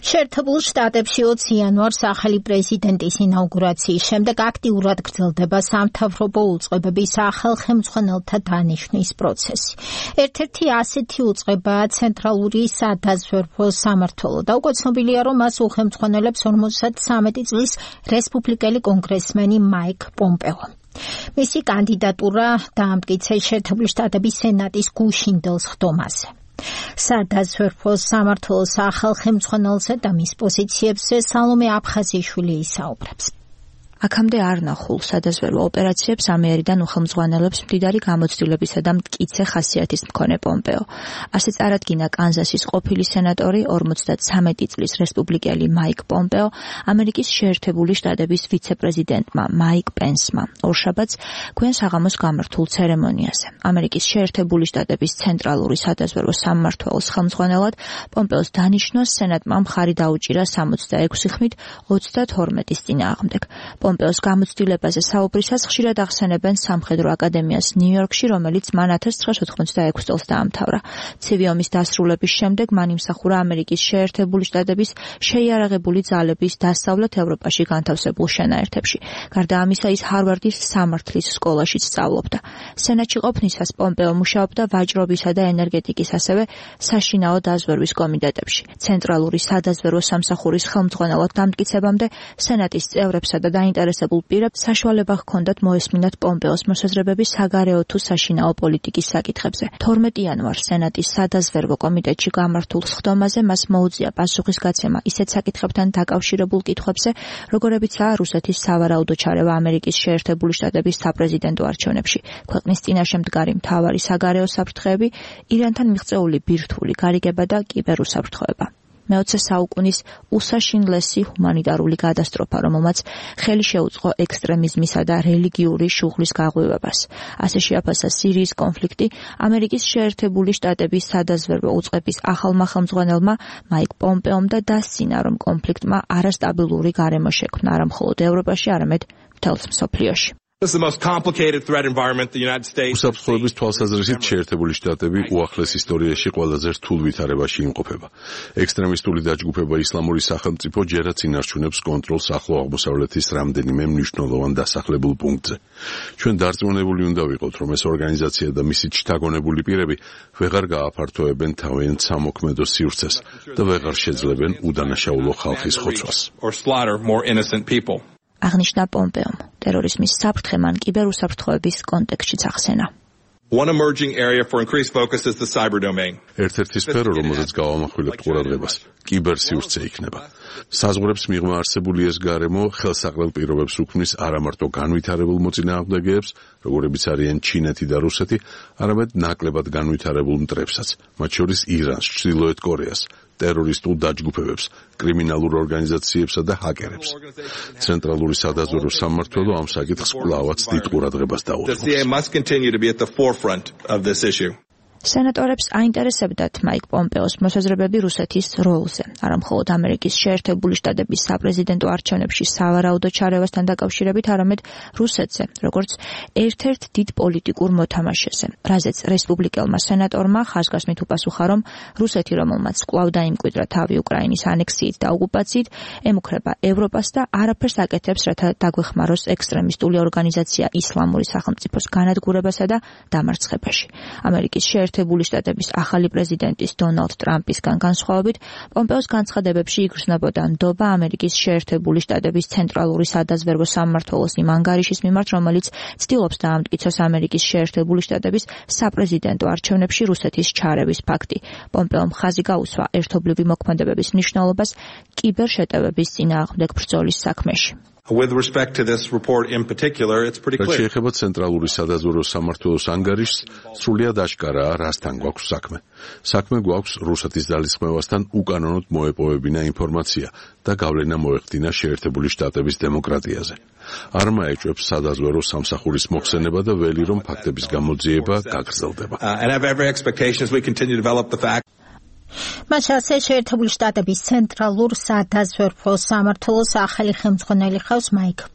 შეერთებულ შტატებში 20 იანვარს ახალი პრეზიდენტის ინაუგურაციის შემდეგ აქტიურად გრძელდება სამთავრობო უწყებების ახალხემძღვანელთა დანიშვნის პროცესი. ერთ-ერთი ასეთი უწყებაა ცენტრალური სადაზვერვო სამმართველო და უკვე ცნობილია, რომ მას უხელმძღვანელებს 53 წლის რესპუბლიკელი კონგრესმენი მაიკ პომპეო. მისი კანდიდატურა დაამტკიცეს შეერთებული შტატების სენატის გუშინდელ სხდომაზე. სადაზვერვო სამმართველოს ახალხემძღვანელზე და მის პოზიციებზე სალომე აფხაზიშვილი ისაუბრებს. აქამდე არ ნახულ სადაზვერვო ოპერაციებს ამიერიდან უხელმძღვანელებს მდიდარი გამოცდილებისა და მტკიცე ხასიათის მქონე პომპეო. ასე წარადგინა კანზასის ყოფილი სენატორი 53 წლის რესპუბლიკელი მაიკ პომპეო ამერიკის შეერთებული შტატების ვიცე-პრეზიდენტმა მაიკ პენსმა ორშაბათს გვიან საღამოს გამართულ ცერემონიაზე. ამერიკის შეერთებული შტატების ცენტრალური სადაზვერვო სამმართველოს ხელმძღვანელად პომპეოს დანიშვნას სენატმა მხარი დაუჭირა 66 ხმით 32-ის წინააღმდეგ. პომპეოს გამოცდილებაზე საუბრისას ხშირად ახსენებენ სამხედრო აკადემიას ნიუ-იორკში, რომელიც მან 1986 წელს დაამთავრა. ცივი ომის დასრულების შემდეგ მან იმსახურა ამერიკის შეერთებული შტატების შეიარაღებული ძალების დასავლეთ ევროპაში განთავსებულ შენაერთებში. გარდა ამისა, ის ჰარვარდის სამართლის სკოლაშიც სწავლობდა. სენატში ყოფნისას პომპეო მუშაობდა ვაჭრობისა და ენერგეტიკის, ასევე საშინაო დაზვერვის კომიტეტებში. ცენტრალური სადაზვერვო სამსახურის ხელმძღვანელად დამტკიცებამდე სენატის წევრებსა და დაინტერესებულ პირებს საშუალება ჰქონდათ მოესმინათ პომპეოს მოსაზრებები საგარეო თუ საშინაო პოლიტიკის საკითხებზე. 12 იანვარს სენატის სადაზვერვო კომიტეტში გამართულ სხდომაზე მას მოუწია პასუხისგაცემა ისეთ საკითხებთან დაკავშირებულ კითხვებზე, როგორებიცაა რუსეთის სავარაუდო ჩარევა ამერიკის შეერთებული შტატების საპრეზიდენტო არჩევნებში, ქვეყნის წინაშე მდგარი მთავარი საგარეო საფრთხეები, ირანთან მიღწეული ბირთვული გარიგება და კიბერუსაფრთხოება. მე-20 საუკუნის უსაშინლესი ჰუმანიტარული კატასტროფა, რომელმაც ხელი შეუწყო ექსტრემიზმისა და რელიგიური შუღლის გაღვივებას. ასე შეაფასა სირიის კონფლიქტი ამერიკის შეერთებული შტატების სადაზვერვო უწყების ახალმა ხელმძღვანელმა მაიკ პომპეომ და დასცინა, რომ კონფლიქტმა არასტაბილური გარემო შექმნა არა მხოლოდ ევროპაში, არამედ მთელს მსოფლიოში. უსაფრთხოების თვალსაზრისით შეერთებული შტატები უახლეს ისტორიაში ყველაზე რთულ ვითარებაში იმყოფება. ექსტრემისტული დაჯგუფება ისლამური სახელმწიფო ჯერაც ინარჩუნებს კონტროლს ახლო აღმოსავლეთის რამდენიმე მნიშვნელოვან დასახლებულ პუნქტზე. ჩვენ დარწმუნებული უნდა ვიყოთ, რომ ეს ორგანიზაცია და მისი შთაგონებული პირები ვეღარ გააფართოებენ თავიანთ სამოქმედო სივრცეს და ვეღარ შეძლებენ უდანაშაულო ხალხის ხოცვას. აღნიშნა პომპეომ. ტერორიზმის საფრთხე მან კიბერუსაფრთხოების კონტექსტშიც ახსენა. ერთ-ერთი სფერო, რომელზეც გავამახვილებთ ყურადღებას, კიბერსივრცე იქნება. საზღვრებს მიღმა არსებული ეს გარემო ხელსაყრელ პირობებს უქმნის არა მარტო განვითარებულ მოწინააღმდეგეებს, როგორებიც არიან ჩინეთი და რუსეთი, არამედ ნაკლებად განვითარებულ მტრებსაც, მათ შორის ირანს, ჩრდილოეთ კორეას, ტერორისტულ დაჯგუფებებს, კრიმინალურ ორგანიზაციებსა და ჰაკერებს. ცენტრალური სადაზვერვო სამმართველო ამ საკითხს კვლავაც დიდ ყურადღებას დაუწყობს. სენატორებს აინტერესებდათ მაიკ პომპეოს მოსაზრებები რუსეთის როლზე, არა მხოლოდ ამერიკის შეერთებული შტატების საპრეზიდენტო არჩევნებში სავარაუდო ჩარევასთან დაკავშირებით, არამედ რუსეთზე, როგორც ერთ-ერთ დიდ პოლიტიკურ მოთამაშეზე, რაზეც რესპუბლიკელმა სენატორმა ხაზგასმით უპასუხა, რომ რუსეთი, რომელმაც კვლავ დაიმკვიდრა თავი უკრაინის ანექსიით და ოკუპაციით, ემუქრება ევროპას და არაფერს აკეთებს, რათა დაგვეხმაროს ექსტრემისტული ორგანიზაცია ისლამური სახელმწიფოს განადგურებასა და დამარცხებაში. ამერიკის შეერთებული შტატების ახალი პრეზიდენტის დონალდ ტრამპისგან განსხვავებით, პომპეოს განცხადებებში იგრძნობოდა ნდობა ამერიკის შეერთებული შტატების ცენტრალური სადაზვერვო სამმართველოს იმ ანგარიშის მიმართ, რომელიც ცდილობს დაამტკიცოს ამერიკის შეერთებული შტატების საპრეზიდენტო არჩევნებში რუსეთის ჩარევის ფაქტი. პომპეომ ხაზი გაუსვა ერთობლივი მოქმედებების მნიშვნელობას კიბერშეტევების წინააღმდეგ ბრძოლის საქმეში. რაც შეეხება ცენტრალური სადაზვერვო სამმართველოს ანგარიშს, სრულიად აშკარაა, რასთან გვაქვს საქმე. საქმე გვაქვს რუსეთის ძალისხმევასთან უკანონოდ მოეპოვებინა ინფორმაცია და გავლენა მოეხდინა შეერთებული შტატების დემოკრატიაზე. არ მაეჭვებს სადაზვერვო სამსახურის მოხსენება და ველი, რომ ფაქტების გამოძიება გაგრძელდება. მათ ასე შეერთებული შტატების ცენტრალურ სადაზვერვო სამმართველოს ახალი ხელმძღვანელი ხავს მაიკ